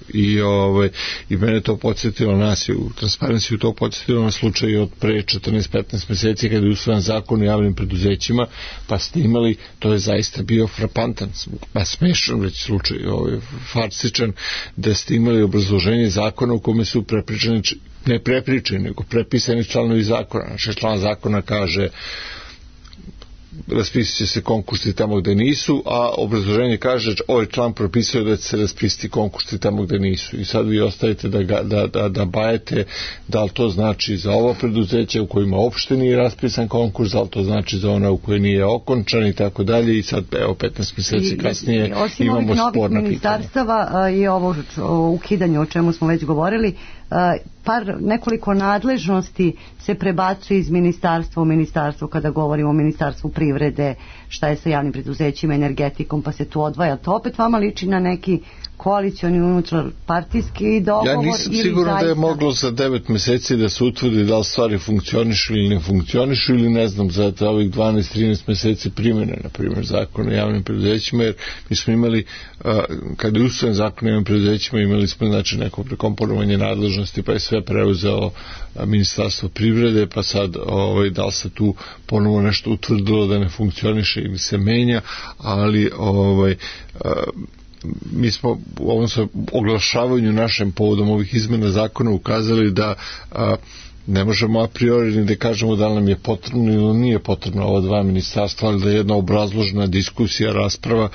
I mene to podsjetilo, nas je u Transparenciju to podsjetilo na slučaj od pre 14-15 meseci kada je usvojen zakon o javnim preduzećima, pa ste imali, to je zaista bio frapantan, pa smešan već slučaj, farsičan, da ste imali obrazloženje zakona u kome su ne prepričani, nego prepisani članovi zakona. Znači član zakona kaže raspisat će se konkursi tamo gde nisu, a obrazloženje kaže ovaj član propisuje da će se raspisati konkursi tamo gde nisu. I sad vi ostavite da bajete da li to znači za ovo preduzeće u kojima uopšte nije raspisan konkurs, da li to znači za ona u kojoj nije okončan i tako dalje. I sad, evo, 15 meseci kasnije imamo sporna pitanja. Osim ovih ministarstava i ovo ukidanje o čemu smo već govorili, nekoliko nadležnosti se prebacuje iz ministarstva u ministarstvo kada govorimo o ministarstvu privrede, šta je sa javnim preduzećima, energetikom, pa se tu odvaja. To opet vama liči na neki koalicioni unutarpartijski dogovor? Ja nisam siguran da je moglo za 9 meseci da se utvrdi da li stvari funkcionišu ili ne funkcionišu ili ne znam za ovih 12-13 meseci primjene, na primjer, zakon o javnim preduzećima, jer mi smo imali, kada je usvojen zakon o javnim preduzećima, imali smo znači neko prekomponovanje nadležnosti, pa je sve preuzeo ministarstvo privrede, pa sad da li se tu ponovo nešto utvrdilo da ne funkcioniše ili se menja, ali mi smo u ovom oglašavanju našem povodom ovih izmena zakona ukazali da ne možemo a priori ni da kažemo da li nam je potrebno ili nije potrebno ova dva ministarstva, ali da je jedna obrazložena diskusija, rasprava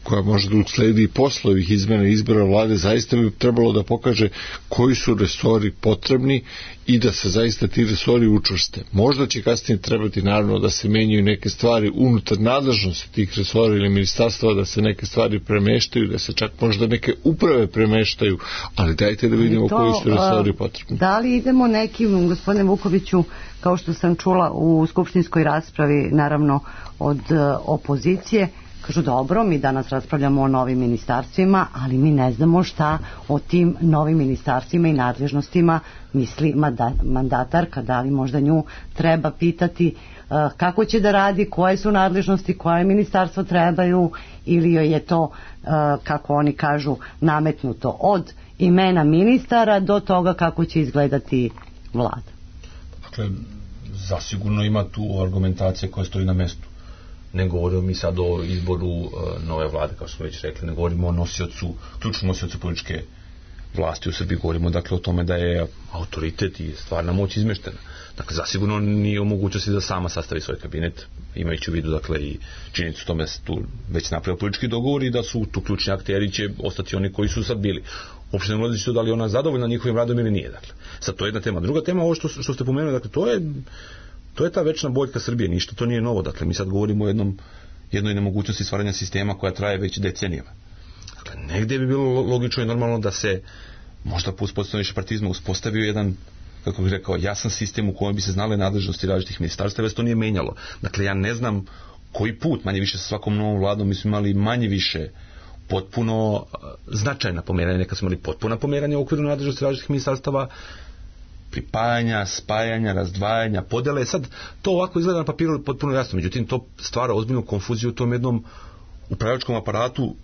koja može da usledi i posle ovih izmena izbora vlade, zaista bi trebalo da pokaže koji su resori potrebni i da se zaista ti resori učvrste. Možda će kasnije trebati naravno da se menjaju neke stvari unutar nadležnosti tih resora ili ministarstva, da se neke stvari premeštaju, da se čak možda neke uprave premeštaju, ali dajte da vidimo koji su resori potrebni. Da li idemo nekim, gospodine Vukoviću, kao što sam čula u skupštinskoj raspravi, naravno od opozicije, kažu dobro, mi danas raspravljamo o novim ministarstvima, ali mi ne znamo šta o tim novim ministarstvima i nadležnostima misli mandatarka, da li možda nju treba pitati kako će da radi, koje su nadležnosti, koje ministarstvo trebaju, ili joj je to, kako oni kažu, nametnuto od imena ministara do toga kako će izgledati vlada. Dakle, zasigurno ima tu argumentacija koja stoji na mestu. Ne govorimo mi sad o izboru nove vlade, kao što smo već rekli, ne govorimo o ključnom nosiocu političke vlasti u Srbiji, govorimo dakle o tome da je autoritet i stvarna moć izmeštena. Dakle, zasigurno nije u mogućnosti da sama sastavi svoj kabinet, imajući u vidu dakle i činjenicu tome se tu već napravio politički dogovor i da su tu ključni akteri će ostati oni koji su sad bili. Uopšte ne ulazi to da li ona zadovoljna njihovim radom ili nije. Dakle, sad to je jedna tema. Druga tema, ovo što ste pomenuli, dakle, to je ta večna boljka Srbije, ništa to nije novo. Dakle, mi sad govorimo o jednoj nemogućnosti stvaranja sistema koja traje već decenijama. Dakle, negdje bi bilo logično i normalno da se možda po uspostavljanju višepartizma uspostavio jedan, kako bih rekao, jasan sistem u kojem bi se znale nadležnosti različitih ministarstava, već to nije menjalo. Dakle, ja ne znam koji put, manje više sa svakom novom vladom mi smo imali manje više potpuno značajna pomeranja, nekad smo imali potpuna pomeranja u okviru nadležnosti različitih ministarstava, pripajanja, spajanja, razdvajanja, podele. Sad to ovako izgleda na papiru potpuno jasno, međutim to stvara ozbiljnu konfuziju u tom jednom upravljačkom aparatu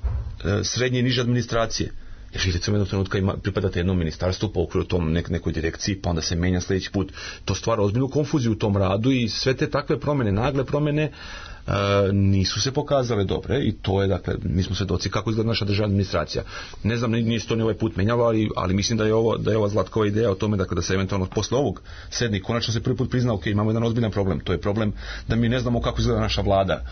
srednje i niže administracije. Jer vi recimo jednog trenutka pripadate jednom ministarstvu po okviru tom nekoj direkciji, pa onda se menja sljedeći put. To stvara ozbiljnu konfuziju u tom radu i sve te takve promjene, nagle promjene, nisu se pokazale dobre i to je, dakle, mi smo svedoci kako izgleda naša državna administracija. Ne znam, nije se to ni ovaj put menjalo, ali mislim da je ova Zlatkova ideja o tome, dakle, da se eventualno posle ovog sedni konačno se prvi put prizna, ok, imamo jedan ozbiljan problem, to je problem da mi ne znamo kako izgleda naša vlada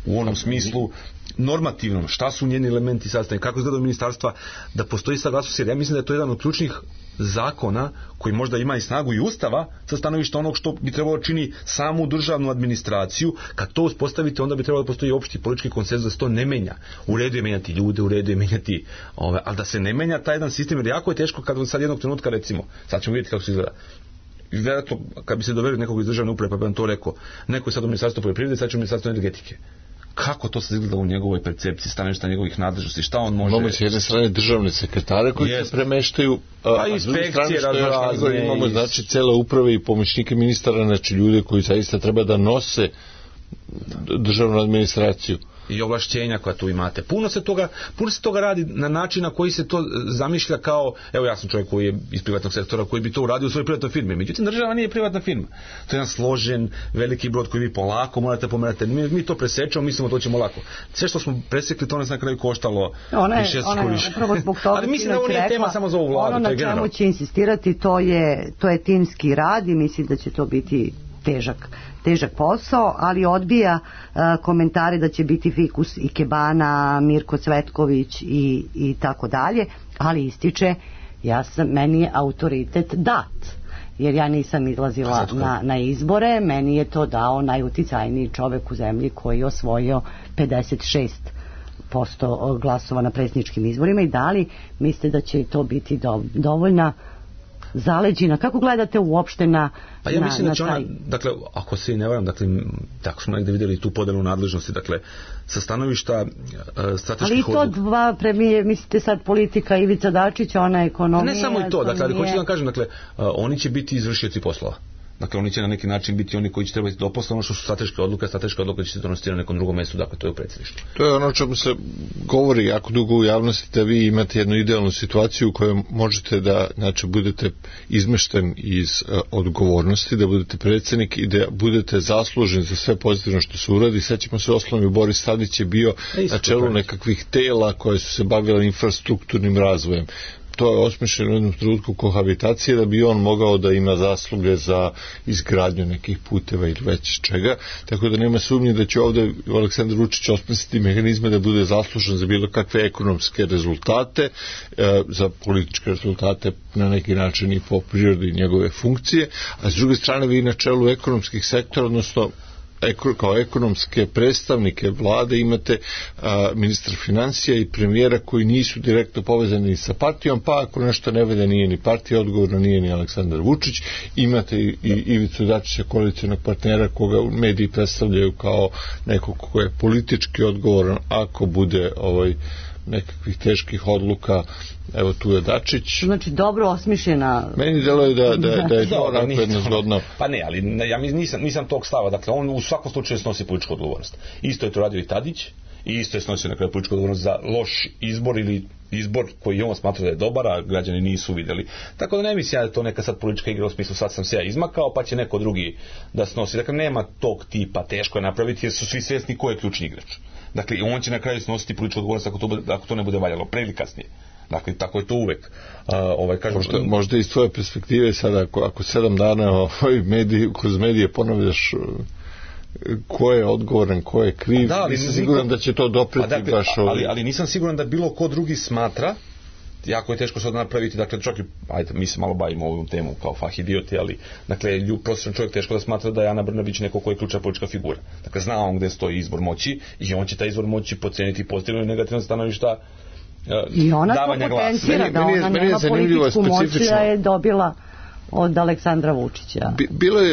u onom smislu normativnom, šta su njeni elementi sastavljeni, kako izgleda ministarstva, da postoji saglasnost, jer ja mislim da je to jedan od ključnih zakona koji možda ima i snagu i ustava sa stanovišta onog što bi trebalo čini samu državnu administraciju. Kad to uspostavite, onda bi trebalo da postoji opšti politički konsenzus da se to ne menja. U redu je menjati ljude, u redu je menjati ali da se ne menja taj jedan sistem, jer jako je teško kad sad jednog trenutka, recimo, sad ćemo vidjeti kako se izgleda. I vjerojatno, kad bi se doverio nekog iz državne uprave, pa bi vam to rekao, neko je sad u ministarstvu poljoprivrede, sad će u ministarstvu energetike. Kako to se izgleda u njegovoj percepciji, stanovišta njegovih nadležnosti, šta on može... Imamo s jedne strane državne sekretare koji se premeštaju, a s druge strane što je razlog, imamo znači cele uprave i pomoćnike ministara, znači ljude koji zaista treba da nose državnu administraciju. I ovlašćenja koja tu imate. Puno se toga radi na način na koji se to zamišlja kao, evo ja sam čovjek koji je iz privatnog sektora koji bi to uradio u svojoj privatnoj firmi. Međutim, država nije privatna firma. To je jedan složen, veliki brod koji vi polako morate pomerati. Mi to presečemo, mislimo to ćemo lako. Sve što smo presekli, to nas na kraju koštalo više. Upravo zbog toga. Ali mislim da ovo nije tema samo za ovu vladu. Ono na čemu će insistirati, to je timski rad i mislim da će to biti težak posao, ali odbija komentare da će biti fikus Ikebana, Mirko Cvetković i tako dalje, ali ističe meni je autoritet dat, jer ja nisam izlazila na izbore, meni je to dao najuticajniji čovek u zemlji koji je osvojio 56% glasova na predsjedničkim izborima. I da li mislite da će to biti dovoljna zaleđina? Kako gledate uopšte na pa ja mislim da će ona, dakle, ako se i ne varam, dakle, tako smo negde vidjeli tu podelu nadležnosti, dakle, sa stanovišta strateških odluka. Ali to dva premije, mislite sad politika Ivica Dačić, ona ekonomija... Ne samo i to, dakle, ali hoću da vam kažem, dakle, oni će biti izvršioci poslova. Dakle, oni će na neki način biti oni koji će trebati do posla, ono što su strateške odluke će se donositi na nekom drugom mjestu, dakle to je u predsjedništvu. To je ono čemu se govori jako dugo u javnosti, da vi imate jednu idealnu situaciju u kojoj možete da, znači, budete izmešten iz odgovornosti, da budete predsjednik i da budete zaslužen za sve pozitivno što se uradi. Sećamo se osnovno, Boris Tadić je bio na čelu nekakvih tela koje su se bavile infrastrukturnim razvojem. To je osmišljeno u jednom trenutku kohabitacije da bi on mogao da ima zasluge za izgradnju nekih puteva ili već čega, tako da nema sumnje da će ovdje Aleksandar Vučić osmisliti mehanizme da bude zaslužen za bilo kakve ekonomske rezultate, za političke rezultate na neki način i po prirodi njegove funkcije, a s druge strane vi na čelu ekonomskih sektora, odnosno kao ekonomske predstavnike vlade imate ministra financija i premijera koji nisu direktno povezani sa partijom, pa ako nešto ne vede nije ni partija odgovorna, nije ni Aleksandar Vučić. Imate i Ivicu Dačića, koalicionog partnera koga mediji predstavljaju kao nekog ko je politički odgovoran ako bude nekakvih teških odluka. Evo tu je Dačić. Znači dobro osmišljena. Meni deluje da je to onako jedno zgodno. Pa ne, ali ja nisam tog stava. Dakle, on u svakom slučaju snosi političku odgovornost. Isto je to radio i Tadić i isto je snosio na kraju političku odgovornost za loš izbor ili izbor koji on smatra da je dobar, a građani nisu vidjeli. Tako da ne mislim da je to neka sad politička igra u smislu sad sam se ja izmakao pa će neko drugi da snosi. Dakle, nema tog tipa, teško je napraviti jer su svi svjesni ko je ključni igrač. Dakle, on će na kraju snositi političku odgovornost ako to ne bude valjalo, pre ili kasnije. Dakle, tako je to uvek. Možda iz tvoje perspektive sada, ako 7 dana kroz medije ponavljaš ko je odgovoran, ko je kriv, nisam siguran da će to dopreti baš ali nisam siguran da bilo ko drugi smatra, jako je teško sad napraviti, dakle čak i, mi se malo bavimo ovom temu kao fahidioti, ali dakle, prosječan čovjek teško da smatra da je Ana Brnabić neko ko je ključna politička figura. Dakle, zna on gde stoji izbor moći i on će taj izbor moći poceniti pozitivno i negativno stanovišta i ona to potencira da ona nema političku moć da je dobila od Aleksandra Vučića.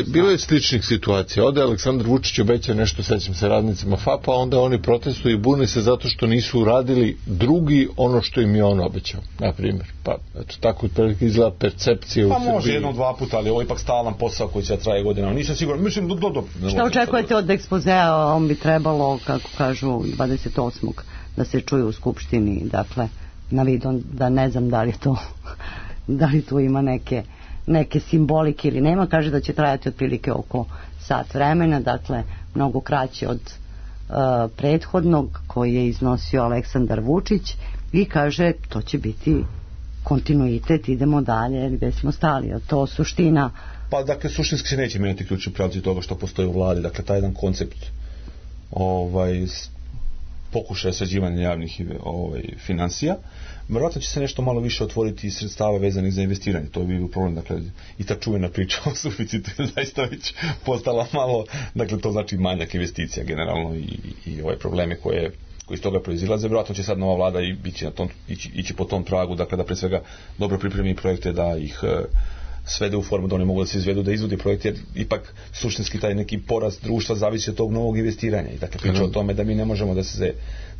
Bilo je sličnih situacija. Ode Aleksandar Vučić obeća nešto, sećam se, radnicima FAP-a, onda oni protestuju i bune se zato što nisu uradili drugi ono što im je on obećao, na primjer. Pa, eto, tako otprilike izgleda percepcija u Srbiji. Pa može jednom, dva puta, ali ovo je ipak stalan posao koji će traje godina. Nisam siguran, mislim, Šta očekujete od ekspozea? On bi trebalo, kako kažu, 28. da se čuje u Skupštini, dakle, na vidon, da ne znam da li tu ima neke simbolike ili nema. Kaže da će trajati otprilike oko sat vremena, dakle mnogo kraće od prethodnog koji je iznosio Aleksandar Vučić i kaže to će biti kontinuitet, idemo dalje gdje smo stali, a to suština. Pa dakle suštinski se neće mijenjati ključni pravci toga što postoji u vladi, dakle taj jedan koncept pokušaja sređivanja javnih finansija. Vjerojatno će se nešto malo više otvoriti iz sredstava vezanih za investiranje. To bi bio problem, dakle, i ta čuvena priča o suficitu je zaista već postala malo, dakle, to znači manjak investicija generalno i ove probleme koji iz toga proizilaze. Vjerojatno će sad nova vlada ići po tom tragu, dakle, da pre svega dobro pripremi projekte, da ih svede u formu da oni mogu da se izvedu, da izvodi projekte, jer ipak suštinski taj neki porast društva zavisi od tog novog investiranja. I dakle, priča o tome da mi ne možemo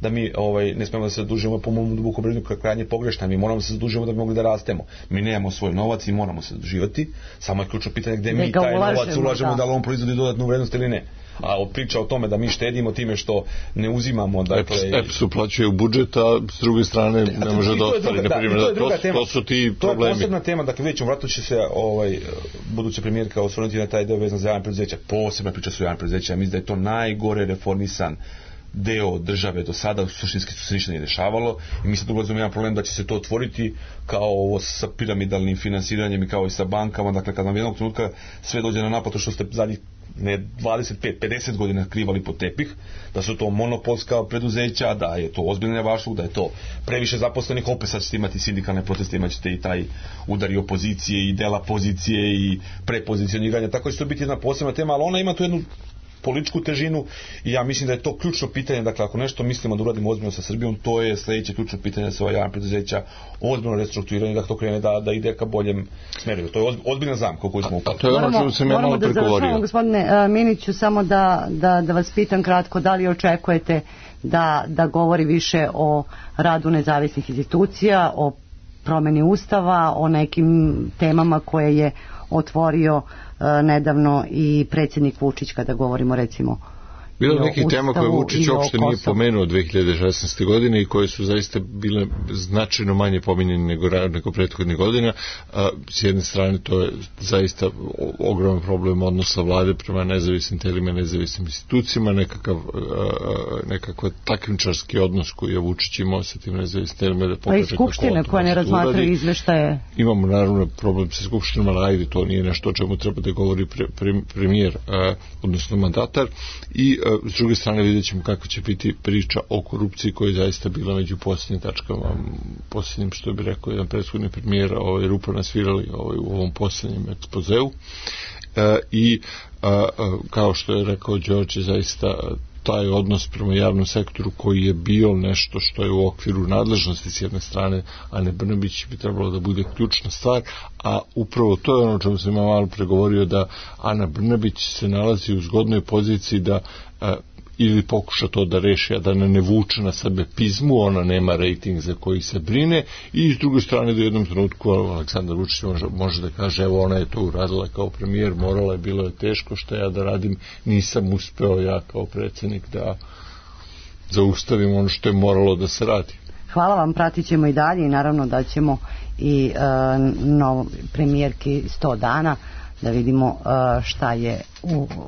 da mi ne smemo da se zadužujemo, po mom dubokom ubeđenju, krajnje pogrešna. Mi moramo da se zadužujemo da bi mogli da rastemo. Mi nemamo svoj novac i moramo se zaduživati. Samo je ključno pitanje gdje mi taj novac ulažemo, da li on proizvodi dodatnu vrednost ili ne. A priča o tome da mi štedimo time što ne uzimamo, dakle, EPS uplaćuje u budžet, a s druge strane ne može da ostvari, to su ti problemi. To je posebna tema, dakle, vidjet ćemo, vratno će se buduća premijerka osvrnuti na taj deo vezan za javne preduzeća. Posebna priča su javne preduzeća, mislim da je to najgore reformisan deo države do sada, suštinski se ništa nije dešavalo i mi sad ulazimo jedan problem da će se to otvoriti kao ovo sa piramidalnim finansiranjem i kao i sa bankama, dakle, kad nam jednog trenutka sve dođe na naplatu što ste zadnjih 25-50 godina krivali pod tepih, da su to monopolska preduzeća, da je to ozbiljno nevažno, da je to previše zaposlenih, opet sad ćete imati sindikalne proteste, imat ćete i taj udar i opozicije i dela pozicije i prepozicioniranja, tako će to biti jedna posebna tema, ali ona ima tu jednu političku težinu i ja mislim da je to ključno pitanje, dakle, ako nešto mislimo da uradimo ozbiljno sa Srbijom, to je sljedeće ključno pitanje da se ova javna preduzeća ozbiljno restrukturiranje, da to krene da ide ka boljem smeru. To je ozbiljna zamka koju smo upali. A to je ono što sam ja malo pregovorio. Moramo da završamo, gospodine Miniću, samo da vas pitam kratko, da li očekujete da govori više o radu nezavisnih institucija, o promjeni ustava, o nekim temama koje je otvorio nedavno i predsjednik Vučić kada govorimo recimo bilo nekih tema koje Vučić uopšte nije pomenuo 2016. godine i koje su zaista bile značajno manje pominjene nego prethodnih godina. S jedne strane to je zaista ogroman problem odnosa vlade prema nezavisnim telima, nezavisnim institucijama, nekakav takmičarski odnos koji je Vučić imao sa tim nezavisnim telima da pokaže kako skupštine koje ne razmatraju izveštaje. Imamo naravno problem sa skupštinom, ali ajde, to nije nešto o čemu treba da govori premijer, odnosno mandatar, i s druge strane vidjet ćemo kako će biti priča o korupciji koja je zaista bila među posljednjim tačkama, posljednjim, što bi rekao jedan prethodni premijer, rupa nasvirali u ovom posljednjem ekspozeu. I kao što je rekao Đorđe, zaista taj odnos prema javnom sektoru koji je bio nešto što je u okviru nadležnosti s jedne strane Ane Brnabić bi trebalo da bude ključna stvar, a upravo to je ono o čemu sam ja malo pregovorio, da Ana Brnabić se nalazi u zgodnoj poziciji da ili pokuša to da reši, a da ne vuče na sebe pizmu, ona nema rejting za koji se brine, i s druge strane da u jednom trenutku Aleksandar Vučić može da kaže, evo, ona je to uradila kao premijer, morala je, bilo je teško, što ja da radim, nisam uspeo ja kao predsjednik da zaustavim ono što je moralo da se radi. Hvala vam, pratit ćemo i dalje i naravno da ćemo i premijerki 100 dana da vidimo šta je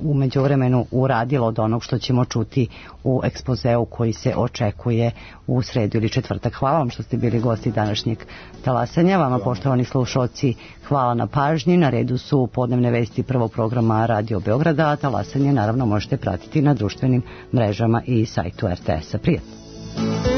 u međuvremenu uradilo od onog što ćemo čuti u ekspozeu koji se očekuje u sredu ili četvrtak. Hvala vam što ste bili gosti današnjeg talasanja. Vama, poštovani slušalci, hvala na pažnji. Na redu su podnevne vesti prvog programa Radio Beograda, a talasanje naravno možete pratiti na društvenim mrežama i sajtu RTS-a. Prijatno.